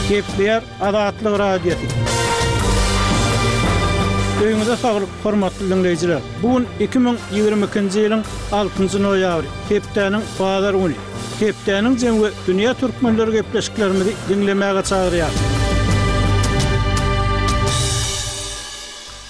Gepleýär Azatlyk Radiosy. Öýüňize saglyk, hormatly diňleýjiler! Bu gün 2022-nji ýylyň altynjy noýabry, hepdäniň bazar güni. Hepdäniň jemi we dünýä türkmenleri gepleşiklerimizi diňlemäge çagyrýarys.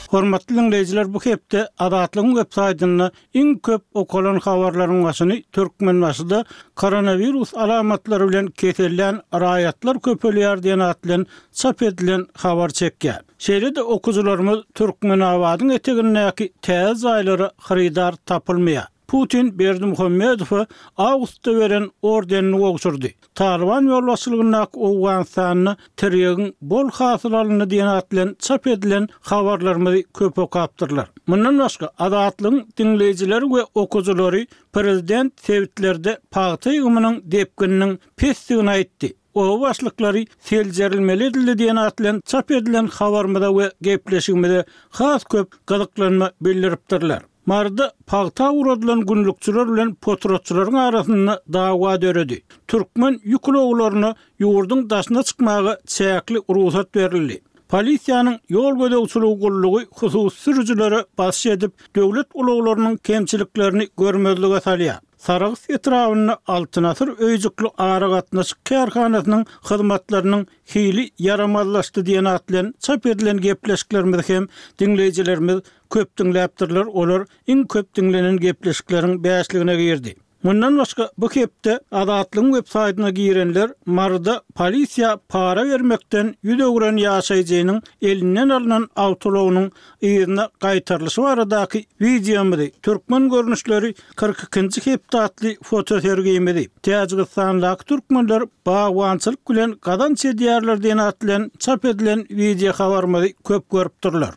Hormatly diňleýjiler, bu hepde Azatlygyň web saýtynda Iň köp okalan habarlaryň başyny Türkmenbaşyda koronawirus alamatlary bilen kesellän raýatlar köpelýär diýen at bilen çap edilen habar çekýär. Şeýle-de okyjylarymyz Türkmenabadyň etegindäki täze jaýlara hyrydar tapylmaýar. Putin Berdimuhamedowa awgustda beren ordenini gowşurdy. Talyban ýolbaşçylygyndaky Owganystanda tirýegiň bol hasyl alyndy diýen at bilen çap edilen habarlarymyzy köp okapdyrlar. Mundan başga, Azatlygyň diňleýjileri we okyjylary prezident sebitlerde pagta ýygymynyň depgininiň pesdigini aýtdy, oba başlyklary seljerilmeli edildi diýen at bilen çap edilen habarymyza we gepleşigimize has köp gyzyklanma bildiripdirler. Maryda pagta ugradylan günlükçiler bilen potratçylaryň arasynda dawa döredi. Türkmen ýük ulaglaryna ýurduň daşyna çykmaga çäkli rugsat berildi. Polisiýanyň ýol gözegçiligi gullugy hususy sürüjilere basyş edip, döwlet ulaglarynyň kemçiliklerini görmezlige salýar. Sarahs etrabynda Altyn asyr öýjükli aragatnaşyk kärhanasynyň hyzmatlarynyň hili ýaramazlaşdy diýen at bilen çap edilen gepleşiklerimizi hem diňleýjilerimiz köp diňläpdirler, olar iň köp diňlenen gepleşikleriň bäşligine girdi. Mundan başga, bu hepde Azatlygyň websaýtyna girenler Maryda polisiýa para bermekden ýüz öwren ýaşaýjynyň elinden alnan awtoulagynyň yzyna gaýtarylyşy baradaky wideomyzy, Türkmen görnüşleri 42-nji hepde atly fotosergimizi, Täjigistandaky türkmenler bagbançylyk bilen gazanç edýärler diýen at bilen çap edilen wideohabarymyzy köp görüpdirler.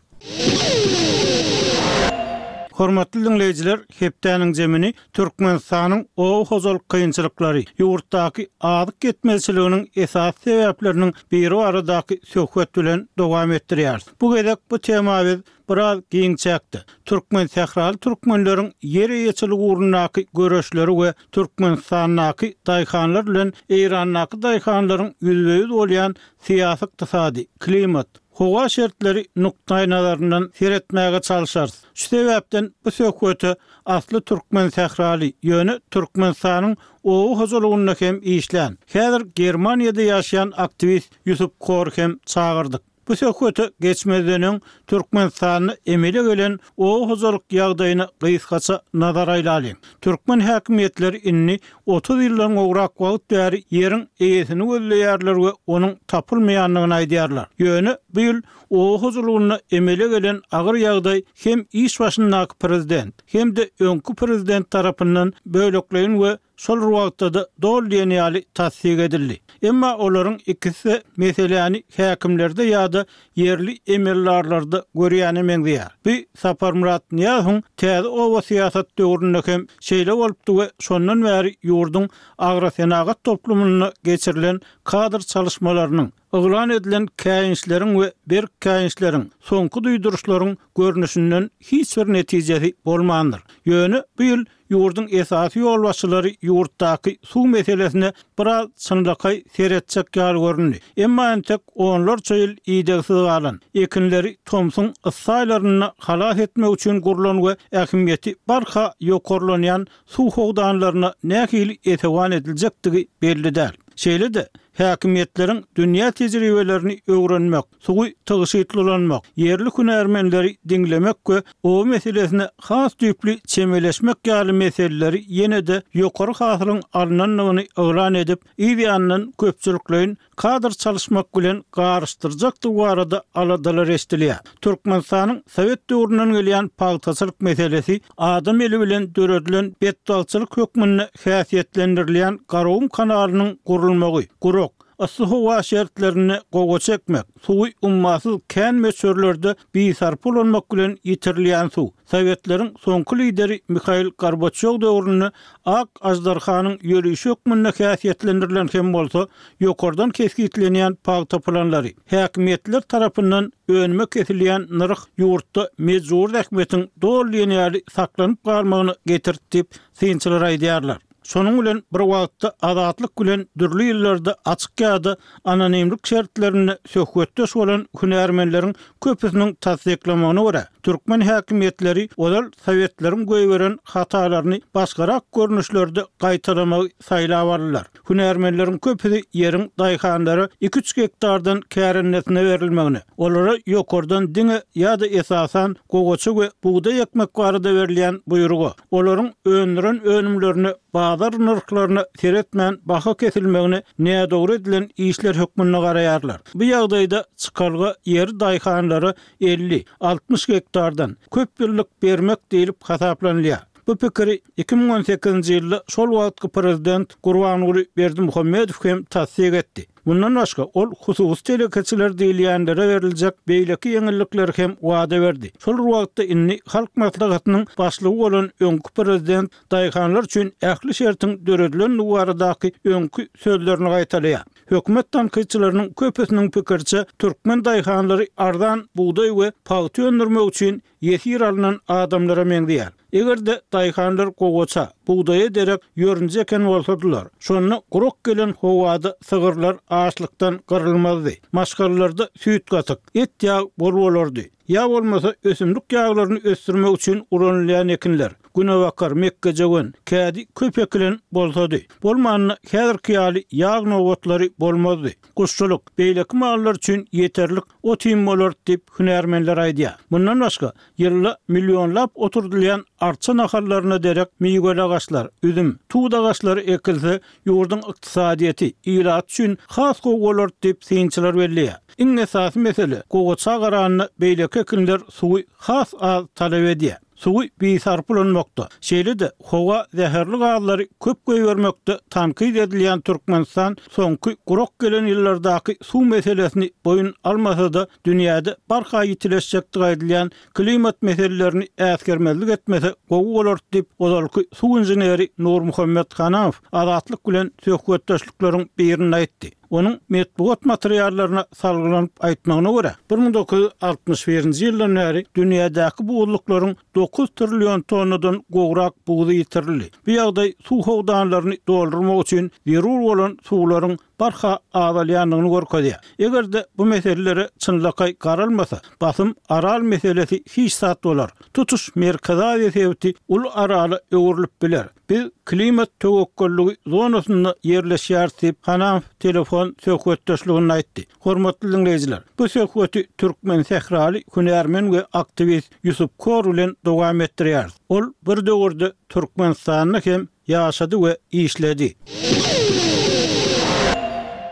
Hormatly diňleýjiler, hepdäniň jemini Türkmenistanyň oba hojalyk kynçylyklary, ýurtdaky azyk ýetmezçiliginiň esasy sebäpleriniň biri baradaky söhbet bilen dowam etdirýäris. Bu gezek bu tema biz biraz giň çäkde, türkmensähraly türkmenleriň ýer eýeçiligi ugrundaky göreşleri we Türkmenistandaky daýhanlar bilen Eýrandaky daýhanlaryň ýüzbe-ýüz bolýan syýasy-ykdysady, klimat, Howa şertleri nukdaýnazaryndan seretmäge çalşarys. Şu sebäpden bu söhbete asly türkmen sähraly, ýöne Türkmenistanyň oba hojalygynda hem işlän, häzir Germaniýada ýaşaýan aktiwist Ýusup Kory hem çagyrdyk. Bu söhbete geçmezden öň Türkmenistanda emele gelen oba hojalyk ýagdaýyna gysgaça nazar aýlalyň. Türkmen häkimiýetleri indi 30 ýyldan gowrak wagt bäri ýeriň eýesini gözleýärler we onuň tapylmaýandygyny aýdýarlar. Ýöne bu ýyl oba hojalygynda emele gelen agyr ýagdaý hem iş başyndaky prezident, hem-de öňki prezident tarapyndan bölekleýin we şol bir wagtda-da doly diýen ýaly tassyk edildi. Emma olaryň ikisi-de meseläni häkimlerde ýa-da ýerli emeldarlarda görýäne meňzeýär. Bu Saparmyrat Nyýazowyň täze oba syýasat döwründe hem şeýle bolupdy we şondan bäri ýurduň agrosenagat toplumynda geçirilen kadr çalyşmalarynyň, yglan edilen käýinçleriň we berk käýinçleriň, soňky duýduryşlaryň görnüşinden hiç bir netijesi bolmandyr. Ýöne bu ýyl Ýurduň esasy ýolbaşçylary ýurtdaky suw meselesine biraz çynlakaý seretjek ýaly göründi. Emma entek onlarça ýyl idegsiz galan, ekinleri tomsuň yssy aýlarynda halas etmek üçin gurlan we ähmiýeti barha ýokarlanýan suw howdanlaryna nähili esewan ediljekdigi belli däl. Şeýle-de, häkimiýetleriň dünýä tejribelerini öwrenmek, suwy tygşytly ulanmak, ýerli hünärmenleri diňlemek we oba meselesine has düýpli çemeleşmek ýaly meseleleri ýene-de ýokary hasylyň alnandygyny yglan edip, yz ýanyndan köpçülikleýin kadr çalyşmak bilen garyşdyrjakdygy barada aladalar eşidilýär. Türkmenistanyň sowet döwründen gelýän pagtaçylyk meselesi adam eli bilen döredilen betbagtçylyk hökmünde häsiýetlendirilýän Garagum kanalynyň gurulmagy, gurak, yssy howa şertlerinde gowaça ekmek, suwy ummasyz kän möçberlerde bisarpa ulanmak bilen ýitirilýän suw, sowetleriň soňky lideri Mihail Gorbaçýow döwründe ak aždarhanyň ýörişi hökmünde häsiýetlendirilen hem bolsa, ýokardan kesgitlenýän pagta planlary, häkimiýetler tarapyndan önüme kesilýän nyrh ýurtda mejbury zähmetiň doly diýen ýaly saklanyp galmagyna getirdi diýip, synçylar aýdýarlar. Şonuň bilen bir wagtda Azatlyk bilen dürli ýyllarda açyk ýa-da anonimlik şertlerinde söhbetdeş bolan hünärmenleriň köpüsiniň tassyklamagyna görä, türkmen häkimiýetleri ozal sowetleriň goýberen hatalaryny başgarak görnüşlerde gaýtalamagy saýlap aldylar. Hünärmenleriň köpüsi ýeriň daýhanlara iki-üç gektardan kärendesine berilmegine, olara ýokardan diňe ýa-da esasan gowaça we bugdaý ekmek barada berilýän buýruga, olaryň öndüren önümlerine bazar nyrhlaryna seretmän baha kesilmegine nädogry edilen işler hökmünde garaýarlar. Bu ýagdaýda çykalga ýeri daýhanlara 50, 60 gektardan köp ýyllyk bermek diýlip hasaplanylýar. Bu pikiri 2018-nji ýylda şol wagtky prezident Gurbanguly Berdimuhamedow hem tassyk etdi. Mundan başga, ol hususy telekeçiler diýilýänlere beriljek beýleki ýeňillikleri hem wada berdi. Şol bir wagtda indi Halk Maslahatynyň başlygy bolan öňki prezident daýhanlar üçin ähli şertiň döredilendigi baradaky öňki sözlerini gaýtalaýar. Hökümet tankytçylarynyň köpüsiniň pikiriçe, türkmen daýhanlary arzan bugdaý we pagta öndürmek üçin ýesir alnan adamlara meňzeýär. Eger-de daýhanlar gowaça, bugdaýa derek ýörünje eken bolsadylar, şonda gurak gelen howada sygyrlar açlykdan gyrylmazdy, maşgalalarda süýt-gatyk, et-ýag bol bolardy. Ýa bolmasa ösümlik ýaglaryny ösdürmek üçin ulanylýan ekinler, günebakar, mekgejöwen, kädi köp ekilen bolsady. Bolmanda häzirki ýaly ýag nobatlary bolmazdy. Guşçulyk, beýleki mallar üçin ýeterlik ot-iým bolardy diýip, hünärmenler aýdýar. Mundan başga, ýylda millionlap oturdylýan arça nahallaryna derek miweli agaçlar, üzüm, tut agaçlary ekilse, ýurduň ykdysadyýeti, ilaty üçin has gowy bolardy diýip, synçylar belleýär. Iň esasy mesele, gowaça garanda beýleki ekinler suwy has az talap edýär. Suwy bisarpa ulanmakda, şeýle-de howa zäherli gazlary köp goýbermekde tankyt edilýän Türkmenistan soňky gurak gelen ýyllardaky suw meselesini boýun almasa-da, dünýäde barha ýitileşjekdigi aýdylýan klimat meselelerini äsgermezlik etmese gowy bolardy diýip, ozalky suw inženeri Nurmuhammet Hanamow Azatlyk bilen söhbetdeşlikleriň birinde aýtdy. Onuň metbugat materiallaryna salgylanyp aýtmagyna görä, 1961-nji ýyldan bäri dünýädäki buzluklaryň dokuz trillion tonnadan gowrak buzy ýitirildi. Bu ýagdaý suw howdanlaryny doldurmak üçin zerur bolan suwlaryň barha azalýandygyny görkezýär. Eger-de bu meselelere çynlakaý garalmasa, basym Aral meselesi hiç zat bolar. Tutuş Merkezi Aziýa sebiti uly Arala öwrülip biler. Biz klimat töwekgelligi zonasynda ýerleşýäris diýip, Hanamow telefon söhbetdeşliginde aýtdy. Hormatly diňleýjiler, bu söhbeti türkmen sähraly hünärmen we aktiwist Ýusup Kor bilen dowam etdirýäris. Ol bir döwürde Türkmenistanda hem ýaşady we işledi.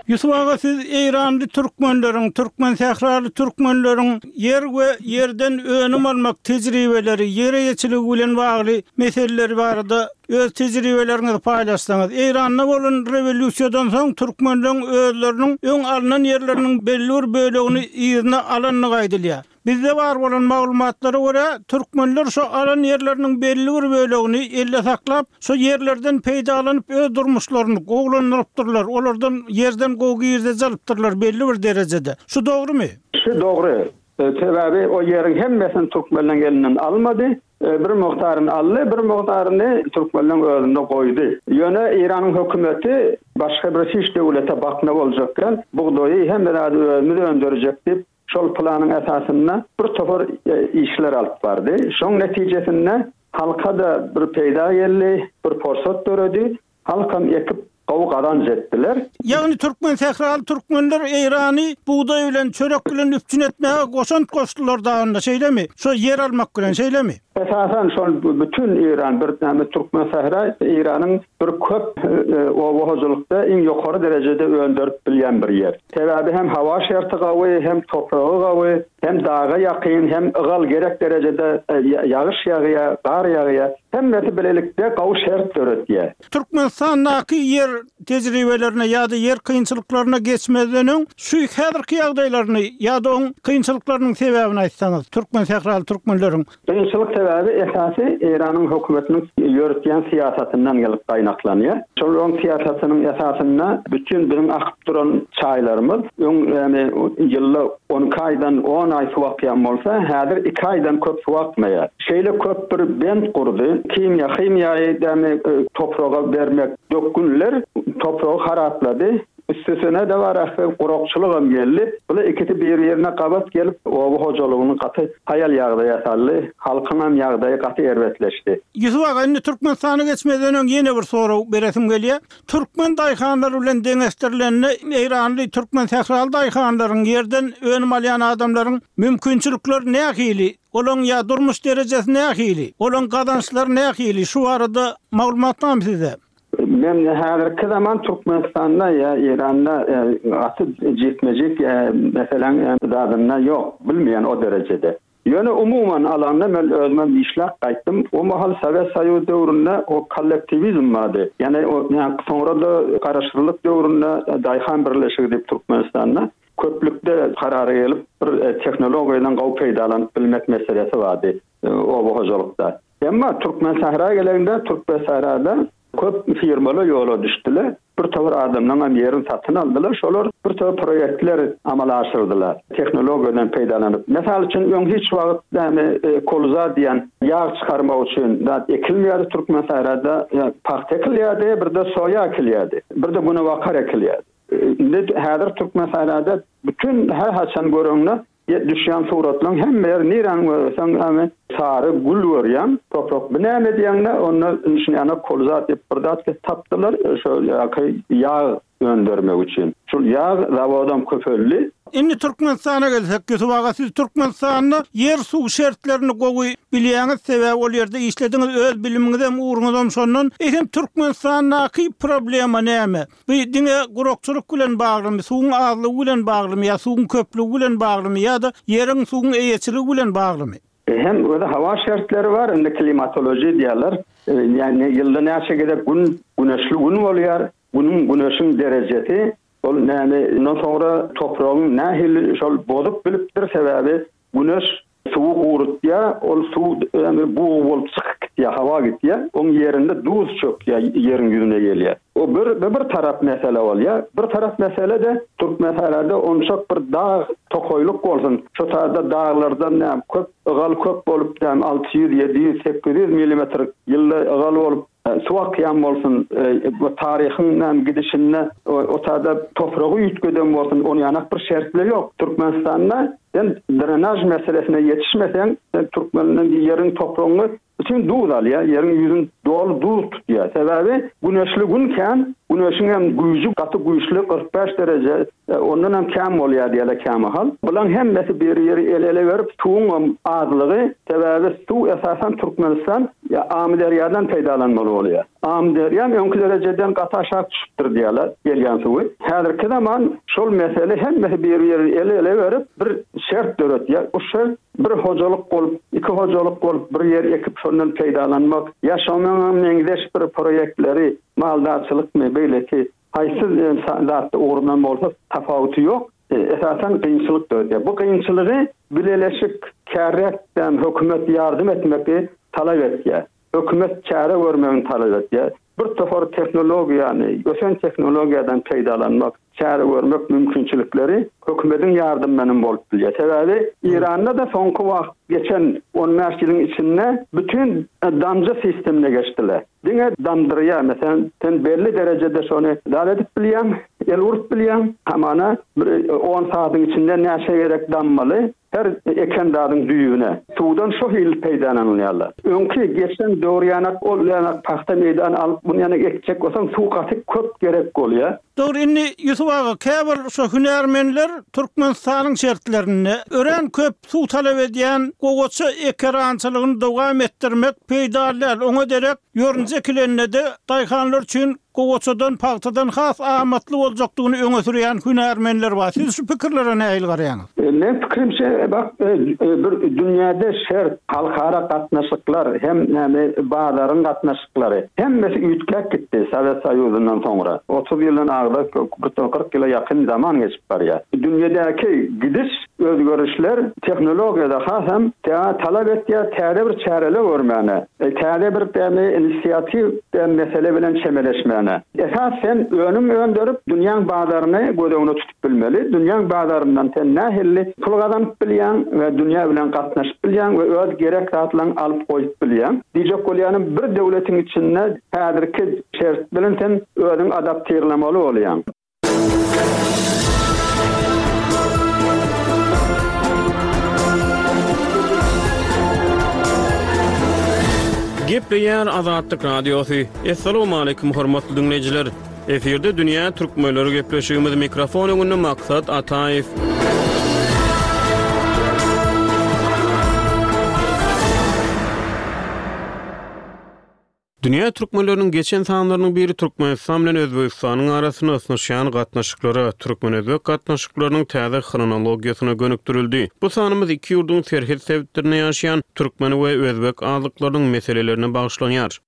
Ýusup aga siz eýranly türkmenleriň, türkmen sähraly türkmenleriň ýer we ýerden önüm almak tejribeleri, ýer eýeçiligi bilen bagly meseleleri barada öz tejribeleriňizi paýlaşsaňyz. Eýranda bolan rewolýusiýadan soň türkmenleň özleriniň öň alnan ýerleriniň belli bir bölegini yzyna alandygy aýdylýar. Bizde bar bolan maglumatlara görä, türkmenler şo alan ýerleriniň belli bir bölegini elde saklap, şo ýerlerden peýdalanyp öz durmuşlaryny gowulandyrypdyrlar, olardan ýerden gowy girdeji alypdyrlar belli bir derejede. Şu dogrumy? Şu dogry. Sebäbi o ýeriň hemmesini türkmenleň elinden almady. Bir mukdaryny aldy, bir mukdaryny türkmenleň özünde goýdy. Ýöne Eýranyň hökümeti başga bir hiç döwlete bakna boljak däl, bugdaýy hemme zady özümiz öndürjek diýip, Şol planyň esasynda bir topar işler alyp bardy. Şoň netijesinde halka-da bir peýda geldi, bir porsat döredi. Halkam ekip gowy gazanç etdiler. Ýagny türkmen sähraly türkmenler Eýrany bugdaý bilen, çörek bilen üpjün etmäge goşant goşdular dagynda şeýlemi? Şo ýer almak bilen şeýlemi? Esasan şol bütin Eýran bir näme türkmen sähra Eýranyň bir köp oba hojalykda iň ýokary derejede önderip bilýän bir ýer. Sebäbi hem hawa şerti gawy, hem topragy gawy, hem daga ýakyn, hem ygal gerek derejede ýagyş ýagýar, gar ýagýar. Hemmesi bilelikde gawy şert döretýär. Türkmenistandaky ýer tejribelerine ýa-da ýer kynçylyklaryna geçmezden öň, şu häzirki ýagdaýlaryny ýa-da oň kynçylyklarynyň sebäbini aýtsaňyz, türkmen sähraly türkmenleriň. Kynçylyk. sebäbi esasy Eýranyň hökümetiniň ýöretýän syýasatyndan gelip gaýnaklanýar. Şol oň syýasatynyň esasynda bütin biziň akyp duran çaýlarymyz öň ýagny ýylda 12 aýdan on aý suw akýan bolsa, häzir iki aýdan köp suw akmaýar. Şeýle köp bir bent gurdy. Kimýa, himiýaýy ýagny topraga bermek dökgünler topragy haraplady. Üstesine-de bar ähli gurakçylygam geldi. Bular ikisi bir-birine gabat gelip, oba hojalygyny gaty haýal ýagdaýa saldy. Halkyňam ýagdaýy gaty erbetleşdi. Ýusup aga, indi Türkmenistana geçmezden öň ýene bir sorag beresim gelýär. Türkmen daýhanlary bilen deňeşdirilende, eýranly, türkmen sähraly daýhanlaryň, ýerden önüm alýan adamlaryň mümkinçilikleri nähili? Olaň ýa durmuş derejesi nähili? Olaň gazançlary nähili? Şu barada maglumat barmy sizde? Men häzirki zaman Türkmenistanda ýa Eýranda gaty jikme-jik meseläň zadynda ýok, bilmeýän o derejede. Ýöne umuman alanda men özümem işläp gaýtdym. O mahal Sowet Soýuz döwründe o kollektiwizm bardy. Ýagny o soňra-da garaşsyzlyk döwründe daýhan birleşigi diýip Türkmenistanda köplükde karara gelip bir tehnologiýadan gowy peýdalanyp bilmek meselesi bardy oba hojalykda. Emma Türkmensähra gelende, Türkmensährada köp firmalar ýola düşdüler. Bir topar adamlaryň hem ýerini satyn aldylar. Şolar bir topar proýektler amala aşyrdylar. Tehnologiýadan peýdalanyp. Mysal üçin, öň hiç wagt näme kolza diýen ýag çykarmak üçin zat ekilmeýärdi Türkmensährada. Pagta ekilýärdi, bir-de soýa ekilýärdi. Bir-de günebakar ekilýärdi. Indi häzir Türkmensährada bütin her haçan göreňde Düşýän suratlaň hemme ýeri niräni görseň ýagny sary gül görýäň toprak bu näme diýeňde onda şuny kolza diýip bir zat tapdylar şo ýaky ýag öndermek üçin şul ýag zawodam köpeldi. Indi Türkmenistana gelsek Ýusup aga siz Türkmenistanda ýer suw şertlerini gowy bilýäňiz sebäbi ol ýerde işlediňiz öz bilimiňizem ugruňyzam şondan eýsem Türkmenistandaky problema näme Bu diňe gurakçylyk bilen baglymy, suwuň azlygy bilen baglymy ýa suwuň köplügi bilen baglymy ýa-da ýeriň, suwuň eýeçiligi bilen baglymy? Hem özi howa şertleri bar, indi klimatoloji diýýärler. Ýagny ýylda näçe gezek gün, güneşli gün bolýar, günüň, güneşiň derejesi, ol näme, ondan soňra topragyň nähili şol bozup bilipdir, sebäbi Güneş suwy gurutýar, ol suw ýagny bug bolup çykyp gitýär, hawa gitýär. Oň ýerinde duz çökýär, ýeriň ýüzüne gelýär. O bir bir tarap mesele bolýar. Bir tarap mesele-de Türkmensährada onçak bir dag tokaýlyk bolsun, şo taýda daglardan näme köp ygal köp bolup näme 600, 700, 800 millimetr ýylda ygal bolup Suw akýan bolsun, bu taryhyň näme gidişinde o taýda topragy üýtgeden bolsun, ony ýanak bir şertler ýok. Türkmenistanda sen drenaž meselesine ýetişmeseň, sen türkmeniň ýeriň topragyňy bütin duz alýar, ýeriň ýüzüni doly duz tutýar. Sebäbi güneşli gün kän, güneşiň hem güýji gaty güýçli 45 dereje Ondan hem kän bolýar diýýärler kämahal. Bulaň hemmesi bir-biri el-ele berip suwuňam azlygy, sebäbi suw esasan Türkmenistan Amyderýadan peýdalanmaly bolýar. Amyderýam öňki derejeden gaty aşak düşüpdir diýýärler gelýän suwy. Häzirki zaman şol mesele hemmesi bir-biri el-ele berip bir şert döretýär. Bu şert bir hojalyk bolup, iki hojalyk bolup bir ýer ekip şondan peýdalanmak ýa şonuňa meňzeş bir proýektleri maldarçylykmy beýleki Haýsy zatda ugrundan bolsa tapawuty ýok, esasan kynçylyk döredýär. Bu kynçylygy bileleşik, kärräkden hökümet ýardam etmegi talap etýär. Hökümet çäre görmegini talap etýär. Bir topar tehnologiýany, ösen tehnologiýadan peýdalanmak, çäre görmek mümkinçilikleri hökümediň ýardamy bilen bolup bilýär. Sebäbi Eýranda-da soňky wagt geçen on bäş ýylyň içinde bütin damja sistemine geçdiler. Diňe damdyrýar. Meselem, sen belli derejede şony zat edip bilýäň, el urup bilýäň. Hamana bir on sagatyň içinde näçe gezek dammaly, her eken zadyň düýbüne. Suwdan şo hili peýdalanylýarlar. Öňki geçen döwür ýanak ol ýanak pagta meýdany alyp, muny ýanak ekjek bolsaň suw gaty köp gerek bolýar. Dogry, indi Ýusup aga, käbir şo hünärmenler Türkmenistanyň şertlerinde örän köp suw talap edýän gowaça ekerançylygyny dowam etdirmek peýdaly däl, oňa derek ýorunja ekilende-de daýhanlar üçin gowaçadan, pagtadan has amatly boljakdygyny öňe sürýän hünärmenler bar. Siz şu pikirlere nähili garaýaňyz? Meň pikirimçe, bak, bir dünýäde şert, halkara gatnaşyklar hem näme bazaryň gatnaşyklary, hemmesi üýtgäp gitdi Sowet Soýuzyndan soňra. 30 ýyldan agda, 40 ýyla ýakyn zaman geçip barýar. Dünýedäki gidiş. Özgerişler tehnologiýada hasam talap etýär täze bir çäreler görmäne, täze bir dämi inisiatiw däm mesele bilen çemeleşmäne. Esas sen önüm önderip dünýäň bazaryny göz öňüne tutup bilmeli. Dünýäň bazaryndan sen nähilli pul gazanyp bilýäň we dünýä bilen gatnaşyp bilýäň we öz gerek zatlaňy alyp goýup bilýäň. Diýjek bolýanym bir döwletiň içinde häzirki şert bilen sen özüňi adaptirlamaly bolýaň. Gepleýär Azatlyk Radiosy. Assalamualaikum hormatly diňleýjiler. Efirde dünýä türkmenleri gepleşigimiz mikrofon öňünde Maksat Ataýew. Dünýä türkmenleriniň geçen sanlarynyň biri Türkmenistan bilen Özbegistanyň arasynda ysnyşýan gatnaşyklara, türkmen-özbek gatnaşyklarynyň täze hronologiýasyna gönükdirildi. Bu sanymyz iki ýurduň serhet sebitlerinde ýaşaýan türkmen we özbek azlyklarynyň meselelerine bagyşlanýar.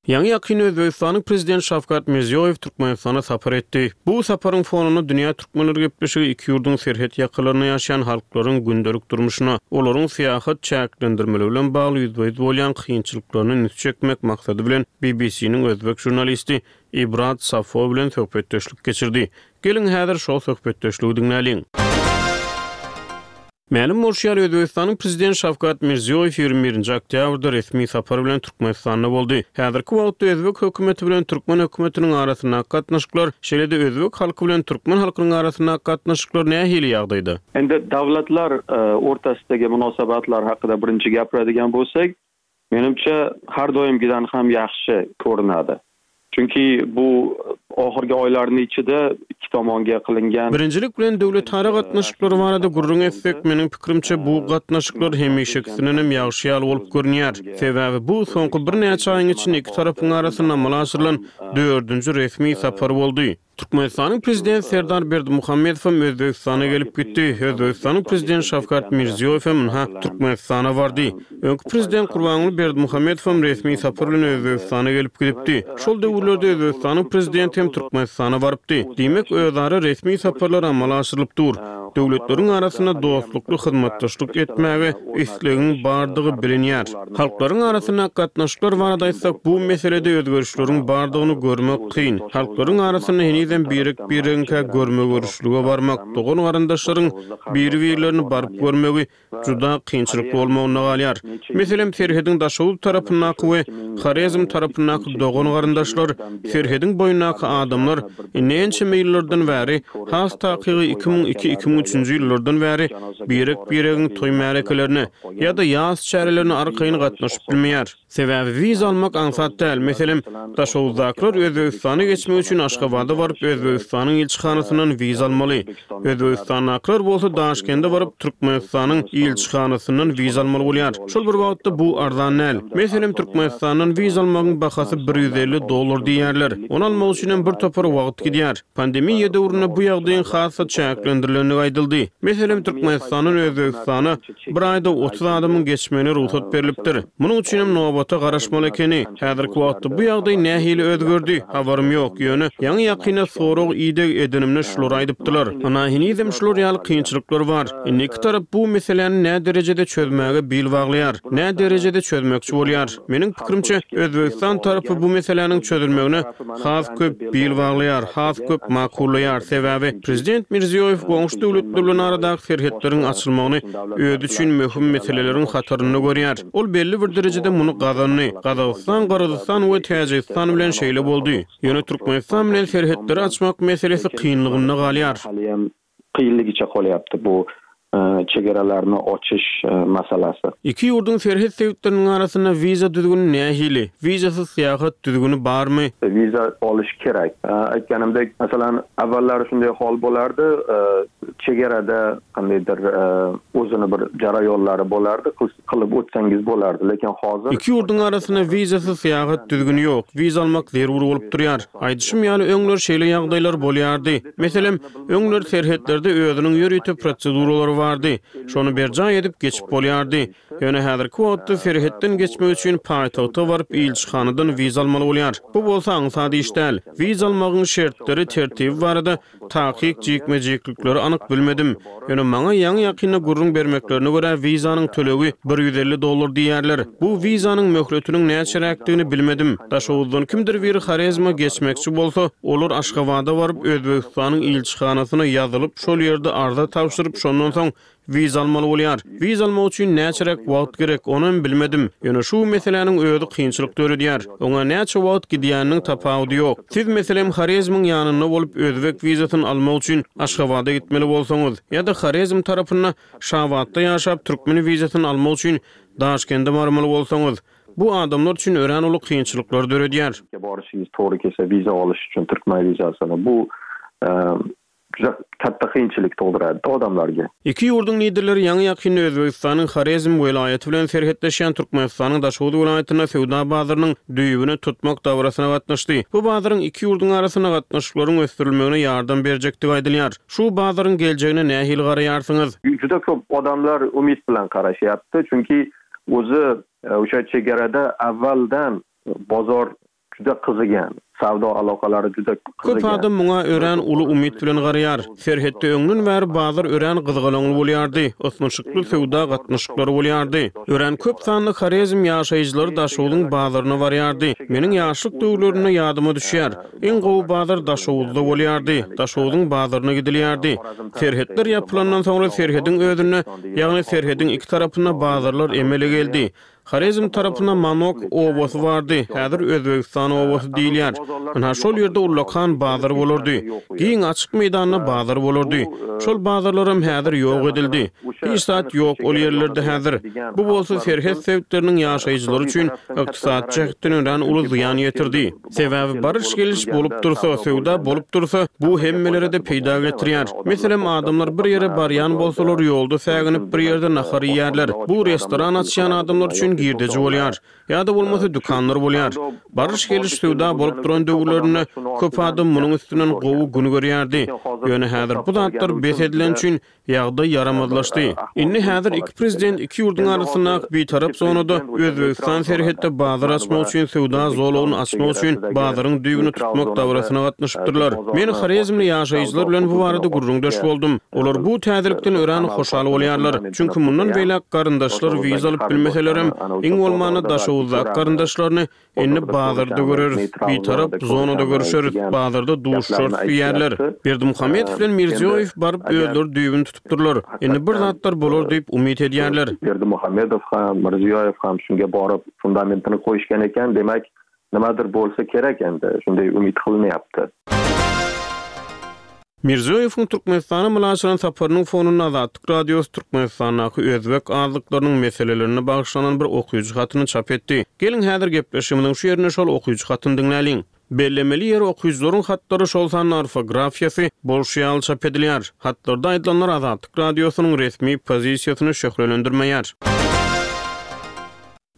Ýaňy-ýakynda Özbegistanyň Prezidenti Şawkat Mirziýoýew Türkmenistana sapar etdi. Bu saparyň fonunda Dünýä türkmenleri gepleşigi iki ýurduň serhet ýakalarynda ýaşaýan halklaryň gündelik durmuşyna, olaryň syýahat çäklendirmeleri bilen bagly ýüzbe-ýüz bolýan kynçylyklaryna üns çekmek maksady bilen BBC-niň özbek žurnalisti Ibrat Safo bilen söhbetdeşlik geçirdi. Geliň, häzir şol söhbetdeşligi diňläliň. Mälim bolşy ýaly, Özbegistanyň Prezidenti Şawkat Mirziýoýew 21-nji oktýabrda resmi sapar bilen Türkmenistanda boldy. Häzirki wagtda özbek hökümeti bilen türkmen hökümetiniň arasyndaky gatnaşyklar, şeýle-de özbek halky bilen türkmen halkynyň arasyndaky gatnaşyklar nähili ýagdaýda? Endi dawlatlar o'rtasidagi munosabatlar haqida birinchi gapiradigan bo'lsak, Menimçe, har doimgidan ham yaxshi ko'rinadi. Chunki bu oxirgi oylarni ichida ikki tomonga qilingan. Birinjilik bilen döwletara gatnaşyklary barada gürrüň etsek, meniň pikirimçe, bu gatnaşyklar hemişekisindenem ýagşy ýaly bolup görünýär. Sebäbi bu soňky birnäçe aýyň içinde iki tarapyň arasynda amala aşyrylan dördünji resmi sapar boldy. Türkmenistanyň Prezidenti Serdar Berdimuhamedow hem Özbegistana gelip gitdi. Özbegistanyň Prezidenti Şawkat Mirziýoýew hem ynha, Türkmenistana bardy. Öňki Prezident Gurbanguly Berdimuhamedow hem resmi sapar bilen Özbegistana gelip gidipdi. Şol döwürlerde Özbegistanyň Prezidenti hem Türkmenistana barypdy. Diýmek, özara resmi saparlar amala aşyrylyp dur. Döwletleriň arasynda dostlukly hyzmatdaşlyk etmäge islegiň bardygy bilinýär. Halklaryň arasyndaky gatnaşyklar barada aýtsak, bu meselede özgerişleriň bardygyny görmek kyn. Halklaryň arasynda henizem birek-biregiňkä görme-görüşlige barmak, dogan-garyndaşlaryň biri-birlerini baryp görmegi juda kynçylykly bolmagynda galýar. Meselem, serhediň Daşoguz tarapyndaky we Horezm tarapyndaky dogan-garyndaşlar, serhediň boýundaky adamlar indi ençeme ýyllardan bäri, has takygy 2002, 2003-nji ýyllardan bäri birek-biregiň toý-märekelerine ýa-da ýas çärelerine arkaýyn gatnaşyp bilmeýär. Sebäbi wiza almak aňsat däl. Meselem, Daşoguzdakylar Özbegistana geçmek üçin Aşgabada baryp, Özbegistanyň ilçihanasyndan wiza almaly. Özbegistandakylar bolsa Daşkende baryp, Türkmenistanyň ilçihanasyndan wiza almaly bolýar. Şol bir wagtda bu arzan däl. Meselem, Türkmenistandan wiza almagyň bahasy 150 dollar diýýärler. Ony almak üçinem bir topar wagt gidýär. Pandemiýa döwründe bu ýagdaýyň has-da çäklendirilendigi aýdyldy. Meselem, Türkmenistandan Özbegistana Bir aýda 30 adamyň geçmegine rugsat berlipdir. Munuň üçinem nobata garaşmaly ekeni. Häzirki wagtda bu ýagdaý nähili özgerdi, habarym ýok, ýöne ýaňy-ýakynda sorag-ideg edenimde şulary aýdypdylar. Ynha, henizem şular ýaly kynçylyklar bar. Indi iki tarap bu meseläni näderejede çözmäge bil baglaýar, näderejede çözmekçi bolýar? Meniň pikirimçe, Özbegistan tarapy bu meseläniň çözülmegine has köp bil baglaýar, has köp makullaýar, sebäbi prezident Mirziýoýew goňşy döwletler bilen aradaky serhetleriň açylmagyny özi üçin möhüm meseleleriň hatarynda görýär. Ol belli bir derejede muny gazandy. Gazagystan, Gyrgyzystan we Täjigistan bilen şeýle boldy. Ýöne Türkmenistan bilen serhetleri açmak meselesi kynlygynda galýar. Kynlygyça bolýapdy bu çegaralarny oçyş masalasy. Iki ýurduň serhet sebitleriniň arasynda wiza düzgüni nähili? Wizasyz syýahat düzgüni barmy? Wiza alyş kerek. Aýtganymdek, meselem, awwallary şunday hol bolardy, çegarada kandaýdyr uzyn bir jaraýollary bolardy, kylyp ötseňiz bolardy, lekin hozir. Iki ýurduň arasynda wizasyz syýahat düzgüni ýok. Wiza almak zerur bolup durýar. Aýdyşym ýaly, öňler şeýle ýagdaýlar bolýardy. Meselem, öňler serhetlerde özüniň ýörite proseduralary bar. bardy. Şony berjaý edip geçip bolýardy. Ýöne häzirki wagtda serhetden geçmek üçin paýtagta baryp ilçihanadan wiza almaly bolýar. Bu bolsa aňsat iş däl. Wiza almagyň şertleri, tertibi barada takyk jikme-jiklikleri anyk bilmedim. Ýöne maňa ýaňy-ýakynda gürrüň bermeklerine görä wizanyň tölegi 150 dollar diýýärler. Bu wizanyň möhletiniň näçeräkdigini bilmedim. Daşoguzdan kimdir biri Horezme geçmekçi bolsa, olar Aşgabada baryp Özbegistanyň ilçihanasyna ýazylyp, şol ýerde arza tabşyryp, şondan soň Wiza almaly bolýar. Wiza almak üçin näçeräk wagt gerek, onam bilmedim. Ýöne şu meseläniň özi kynçylyk döredýär. Oňa näçe wagt gidýäniniň tapawudy ýok. Siz, meselem, Horezmiň ýanynda bolup, özbek wizasyny almak üçin Aşgabada gitmeli bolsaňyz, ýa-da Horezm tarapynda Şabatda ýaşap, türkmen wizasyny almak üçin Daşkende barmaly bolsaňyz, bu adamlar üçin örän uly kynçylyklary döredýär. Boryşyňyz tory kelse wiza alyş üçin türkmen wizasyny bu Juda katta kynçylyk tugdurady odamlarga. Iki ýurduň Liderleri ýaňy-ýakynda Özbegistanyň Horezm welaýaty bilen serhetleşýän Türkmenistanyň Daşoguz welaýatynda söwda bazarynyň düýbüni tutmak dabarasyna gatnaşdy. Bu bazaryň iki ýurduň arasynda gatnaşyklaryň ösdürilmegine ýardam berjekdigi aýdylýar. Şu bazaryň geljegine nähili garaýarsyňyz? Juda köp odamlar umyt bilen garaşýardy, çünki özi oşa çegerada awwaldan bozor Juda gyzygan. Sawda alokalary juda gyzygan. Köp adam muňa örän uly umyt bilen garaýar. Serhetde öňden bäri bazar örän gyzgalaňly bolýardy, ysnyşykly söwda gatnaşyklary bolýardy. Örän köp sanly Horezm ýaşaýjylary Daşogzuň bazaryna barýardy. Meniň ýaşlyk döwürlerimde ýadyma düşýär, iň gowy bazar Daşoguzda bolýardy, Daşogzuň bazaryna gidilýärdi. Serhetler ýapylandan soňra serhediň özünde, ýagny serhediň iki tarapynda bazarlar emele geldi. Horezm tarapynda Manok obasy bardy, häzir Özbegistan obasy diýilýär. Ynha, şol ýerde ullakan bazar bolardy. Giň, açyk meýdanda bazar bolardy. Şol bazarlaram häzir ýok edildi. Hiç zat ýok ol ýerlerde häzir. Bu bolsa serhet sebitleriniň ýaşaýjylary üçin ykdysady jähtden örän uly zyýan ýetirdi. Sebäbi baryş-geliş bolup dursa, söwda bolup dursa, bu hemmelere-de peýda getirýär. Meselem, adamlar bir ýere barýan bolsalar, ýolda säginip bir ýerde nahar iýýärler. Bu restoran açýan adamlar üçin girdeji bolýar. Ýa-da bolmasa dükanlar bolýar. Baryş-geliş söwda bolup duran döwürlerinde köp adam munuň üstünden gowy gün görýärdi. Ýöne häzir bu zatlar bes edileni üçin Ýagdaý ýaramazlaşdy. Indi häzir iki prezident iki ýurduň arasyndaky bitarap zonada Özbegistan serhetde bazar açmak üçin söwda zolagyny açmak üçin bazaryň düýbüni tutmak dabarasyna gatnaşypdyrlar. Men horezmli ýaşaýjylar bilen bu barada gürrüňdeş boldum. Olar bu täzelikden örän hoşal bolýarlar. Çünki mundan beýläk garyndaşlar wiza alyp bilmeselerem, iň bolmanda Daşoguzdaky garyndaşlaryny Indi bazarda göreris, bitarap zonada görüşeris, bazarda duşuşarys diýýärler. Berdimuhamedow bilen Mirziýoýew baryp özleri düýbüni tutupdyrlar. Indi bir zatlar bolar diýip umyt edýärler. Berdimuhamedow ham, Mirziýoýew ham şunga baryp fundamentini goýuşgan eken, demek nimadir bolsa kerek endi, şunday umyt gylynyapdy. Mirziýoýewiň Türkmenistana mylaçylan saparynyň fonunda Azatlyk Radiosy Türkmenistandaky özbek azlyklarynyň meselelerine bagyşlanan bir okyjy hatyny çap etdi. Geliň häzir gepleşigimiziň şu ýerinde şol okyjy hatyny diňläliň. Bellemeli ýeri okyjylaryň hatlary şol sanda orfografiýasy bolşy ýaly çap edilýär. Hatlarda aýdylanlar Azatlyk Radiosynyň resmi pozisiýasyny şöhlelendirmeýär.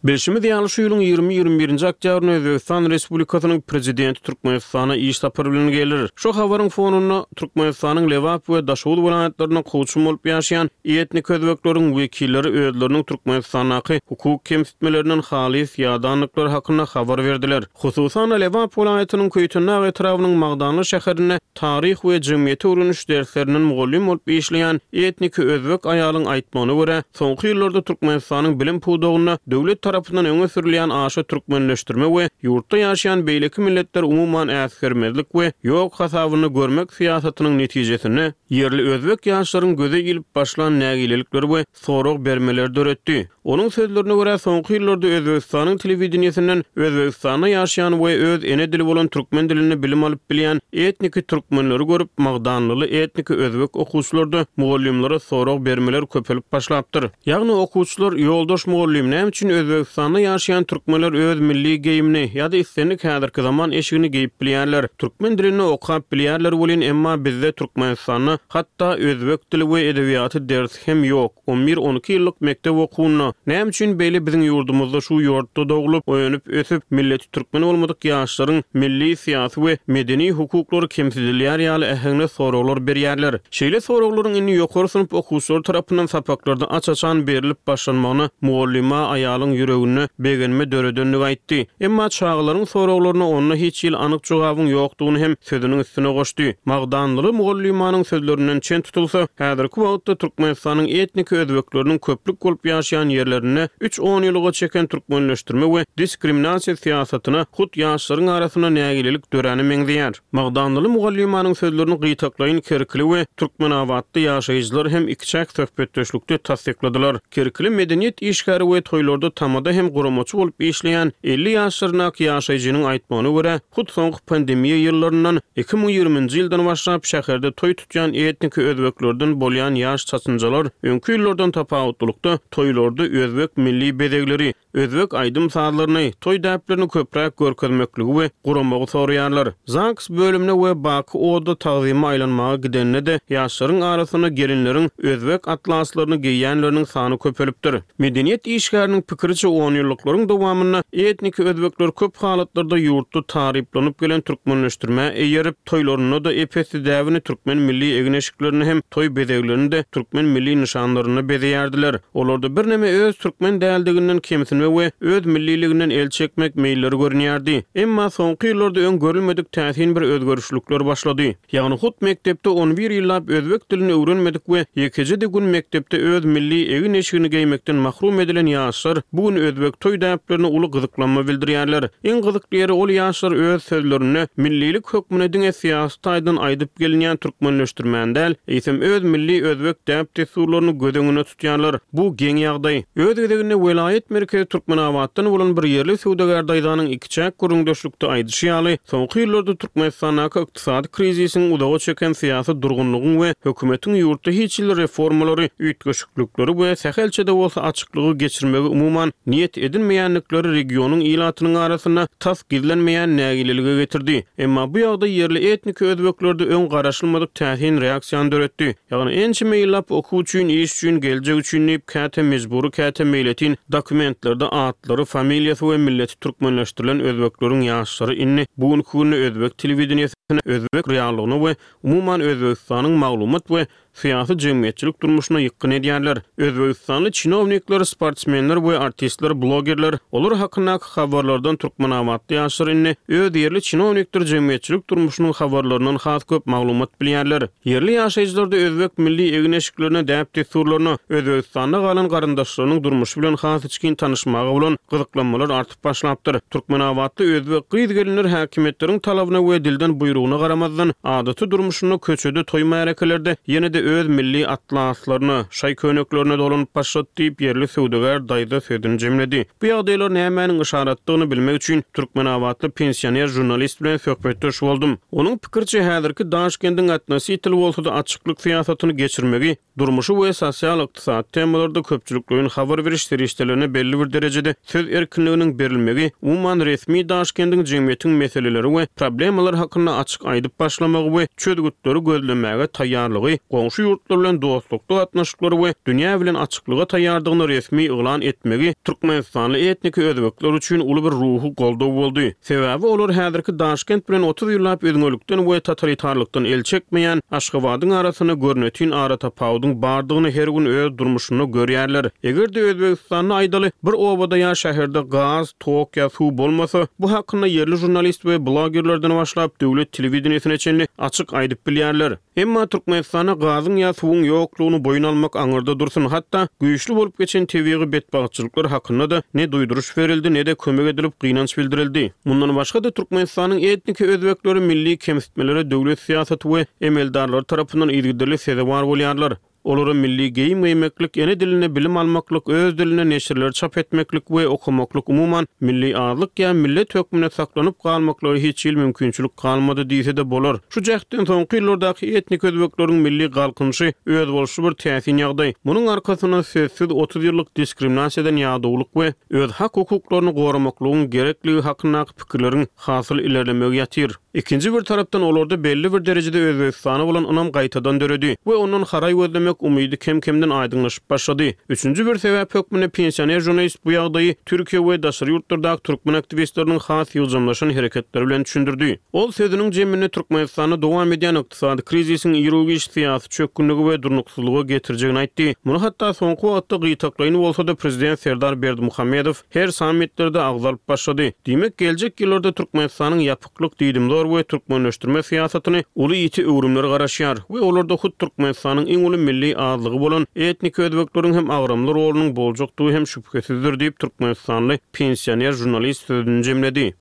Bilşimiz ýaly, şu ýylyň ýigrimi-ýigrimi birinji oktýabrynda Özbegistan Respublikasynyň Prezidenti Türkmenistana iş sapary bilen geler. Şu habaryň fonunda, Türkmenistanyň Lebap we Daşoguz welaýatlarynda kowçum bolup ýaşaýan etnik özbekleriň wekilleri özleriniň Türkmenistandaky hukuk kemsitmelerinden halys ýadandyklary hakynda habar berdiler. Hususan-da, Lebap welaýatynyň Köýtendag etrabynyň Magdanly şäherinde taryh we jemgyýeti öwreniş derslerinden mugallym bolup işleýän etniki özbek aýalyň aýtmagyna görä, soňky ýyllarda Türkmenistanyň bilim pudagynda döwlet tarapyndan öňe sürülýän aşa türkmenleşdirme we ýurtda ýaşaýan beýleki milletleri umuman äsgermezlik we ýok hasabynda görmek syýasatynyň netijesinde, ýerli özbek ýaşlaryň göze ilip başlan nägilelikleri we sorag bermeleri döretdi. Onuň sözlerine görä, soňky ýyllarda Özbegistanyň telewideniýesinden Özbegistanda ýaşaýan we öz ene dili bolan türkmen dilinde bilim alyp bilýän etniki türkmenleri görüp, magdanlyly etniki özbek okuwçylarda mugallymlara sorag bermeler köpelip başlapdyr. Ýagny okuwçylar, Ýoldaş mugallym, näme üçin Özbegistanda. Özbegistanda ýaşaýan türkmenler öz milli geýimini ýa-da islendik häzirki zaman eşigini geýip bilýärler, türkmen dilinde okap bilýärler welin, emma bizde Türkmenistanda hatda özbek dili we edebiýaty dersi hem ýok, on bir, on iki ýyllyk mekdep okuwynda. Näme üçin beýle biziň ýurdumyzda şu ýurtda doglup, önüp, ösüp, milleti türkmen bolmadyk ýaşlaryň milli, syýasy we medeni hukuklary kemsidilýär ýaly äheňde soraglar berýärler. Şeýle soraglaryň indi ýokary synp okuwçylary tarapyndan sapaklarda aç-açan berlip başlanmagyna mugallyma aýalyň ýüreginde begenme döredendigi aýtdy. Emma çagalaryň soraglaryna onda hiç hili anyk jogabyň ýokdugyny hem sözüniň üstüne goşdy. Magdanlyly mugallymanyň sözlerinden çen tutulsa, häzirki wagtda Türkmenistanyň etniki özbekleriniň köplük bolup ýaşaýan ýerlerinde üç onýyllyga çeken türkmenleşdirme we diskriminasiýa syýasatyna hut ýaşlaryň arasynda nägilelik döräne meňzeýär. Magdanlyly mugallymanyň sözlerini gytaklaýyn kerkili we türkmenabatly ýaşaýjylar hem ikiçäk söhbetdeşlikde tassykladylar. Kerkili medeniýet işgäri we toýlarda tamada hem guramaçy bolup işleýän 50 ýaşlaryndaky ýaşaýjynyň aýtmagyna görä, hut soňky pandemiýa ýyllaryndan, 2020-nji ýyldan başlap şäherde toý tutýan etniki özbeklerden bolýan ýaş çatynjalar öňki ýyllardan tapawutlylykda toýlarda özbek milli bezegleri, özbek aýdym-sazlaryny, toý däplerini köpräk görkezmekligi we guramagy soraýarlar. ZAGS bölümine we Baky oda tagzyma aýlanmaga gidende-de, ýaşlaryň arasynda gelinleriň özbek atlaslaryny geýýänleriniň sany köpelipdir. Medeniýet işgäriniň pikiriçe, onýyllyklaryň dowamynda etniki özbekler köp halatlarda ýurtda taryplanyp gelen türkmenleşdirmä eýerip, toýlarynda-da ep-esli däbini türkmen milli egin-eşiklerini hem toý bezeglerini-de türkmen milli nyşanlarynda bezeýärdiler. Olarda birneme öz türkmen däldiginden kemsinme we öz milliliginden el çekmek meýilleri görünýärdi. Emma soňky ýyllarda öň görülmedik täsin bir özgerişlikler başlady. Ýagny hut mekdepde on bir ýyllap özbek dilini öwrenmedik we ýekeje-de gün mekdepde öz milli egin-eşigini geýmekden mahrum edilen ýaşlar bu gün özbek toý däplerine uly gyzyklanma bildirýärler. Iň gyzykly ýeri ol ýaşlar öz sözlerinde millilik hökmünde diňe syýasy taýdan aýdyp gelinýän türkmenleşdirmäni däl, eýsem öz milli özbek däp-dessurlaryny göz öňünde tutýarlar. Bu geň ýagdaý. Öz gezeginde welaýat merkezi Türkmenabatdan bolan bir ýerli söwdagär daýzanyň ikiçäk gürrüňdeşlikde aýdyşy ýaly, soňky ýyllarda Türkmenistandaky ykdysady krizisiň, uzaga çeken syýasy durgunlygyň we hökümetiň ýurtda hiç hili reformalary, üýtgeşiklikleri we sähelçe-de bolsa açyklygy geçirmegi umuman niýet edinmeýändikleri regionyň ilatynyň arasynda tas gizlenmeýän nägilelige getirdi. Emma bu ýagdaý ýerli etniki özbeklerde öň garaşylmadyk täsin reaksiýany döretdi. Ýagny ençeme ýyllap okuw üçin, iş üçin, geljek üçin diýip, käte mejbury, käte meýletin dokumentlerde atlary, familiýasy we milleti türkmenleşdirilen özbekleriň ýaşlary indi bu günki günde özbek telewideniýesine, özbek reallygyna we umuman Özbegistanyň maglumat we syýasy-jemgyýetçilik durmuşyna ýykgyn edýärler. Özbegistanly çinownikler, sportsmenler we artistler, blogerler, olar hakyndaky habarlardan türkmenabatly ýaşlar indi öz ýerli çinownikdir jemgyýetçilik durmuşynyň habarlaryndan has köp maglumat bilýärler. Ýerli ýaşaýjylarda özbek milli egin-eşiklerine, däp-dessurlaryna, Özbegistanda galan garyndaşlarynyň durmuşy bilen has içgin tanyşmaga bolan gyzyklanmalar artyp başlapdyr. Türkmenabatly özbek gyz-gelinler häkimiýetleriň talabyna we dilden buýrugyna garamazdan, adaty durmuşynda köçede, toý-märekelerde ýene-de öz milli atlaslaryna, şaý-köýneklerine dolanyp başlady diýip, ýerli söwdagär daýza sözüni jemledi. Bu ýagdaýlar nämäniň yşaratdygyny bilmek üçin türkmenabatly pensioner žurnalist bilen söhbetdeş boldum. Onuň pikiriçe, häzirki Daşkendiň otnositel bolsa-da açyklyk syýasatyny geçirmegi Durmuşy we sosial-ykdysady temalarda köpçülikleýin habar beriş serişdelerine belli bir derejede söz erkinliginiň berilmegi, umuman, resmi Daşkendiň jemgyýetiň meseleleri we problemalary hakynda açyk aýdyp başlamagy we çözgütleri gözlemäge taýýarlygy, goňşy ýurtlar bilen dostlukly gatnaşyklary we dünýä bilen açyklyga taýýardygyny resmi yglan etmegi türkmenistanly etniki özbekler üçin uly bir ruhy goldaw boldy. Sebäbi olar häzirki Daşkent bilen 30 ýyllap üzňelikden we totalitarlykdan el çekmeýän Aşgabadyň arasynda görnetin aratapawudyň bardygyny her gün öz durmuşynda görýärler. Eger-de Özbegistanda aýdaly, bir obada ýa şäherde gaz, tok ýa suw bolmasa, bu hakynda ýerli žurnalist we blogerlerden başlap döwlet telewideniýesine çenli açyk aýdyp bilýärler. Emma Türkmenistanda gazyň ýa suwuň ýoklugyny boýun almak aňyrda dursun, hatda güýçli bolup geçen tebigy betbagtçylyklar hakynda-da ne duýduryş berildi, ne-de kömek edilip gynanç bildirildi. Mundan başga-da, Türkmenistanyň etniki özbekleri milli kemsitmelere döwlet syýasaty we emeldarlary tarapyndan yzygiderli sezewar bolýarlar. Olara milli geýim geýmeklik, ene dilinde bilim almaklyk, öz dilinde neşirleri çap etmeklik we okamaklyk umuman, milli azlyk ýa millet hökmünde saklanyp galmaklyga hiç hili mümkinçilik galmady diýse-de bolar. Şu jähtden soňky ýyllardaky etnik özbekleriň milli galkynyşy özboluşly bir täsin ýagdaý. Munuň arkasynda sözsüz 30 ýyllyk diskriminasiýadan ýadawlyk we öz hak-hukuklaryny goramaklygyň gerekligi hakyndaky pikirleriň hasyl ilerlemegi ýatyr. Ikinji bir tarapdan olarda belli bir derejede Özbegistana bolan ynam gaýtadan döredi we ondan haraý gözlemek umydy kem-kemden aýdyňlaşyp başlady. Üçünji bir sebäp hökmünde pensioner žurnalist bu ýagdaýy Türkiýe we daşary ýurtlardaky türkmen aktiwistleriniň has ýygjamlaşan hereketleri bilen düşündirdi. Ol sözüniň jeminde Türkmenistanda dowam edýän ykdysady krizisiň iru-giç syýasy çökgünlige we durnuksyzlyga getirjegini aýtdy. Muny hatda soňky wagtda gytaklaýyn bolsa-da prezident Serdar Berdimuhamedow her sammitlerde agzalyp başlady. Diýmek, geljek ýyllarda Türkmenistanyň ýapyklyk, diýdimzor we türkmenleşdirme syýasatyny uly ýiti öwrümler garaşýar we olarda hut Türkmenistanyň iň uly milli azlygy bolan etniki özbekleriň hem agramly rolunyň boljakdygy hem şübhesizdir diýip, türkmenistanly pensioner žurnalist sözüni jemledi.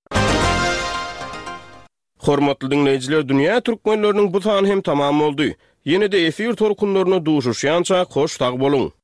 Hormatly diňleýjiler Dünýä Türkmenleriniň bu sany hem tamam boldy. Ýene-de efir tolkunlarynda duşuşýançak hoş sag boluň!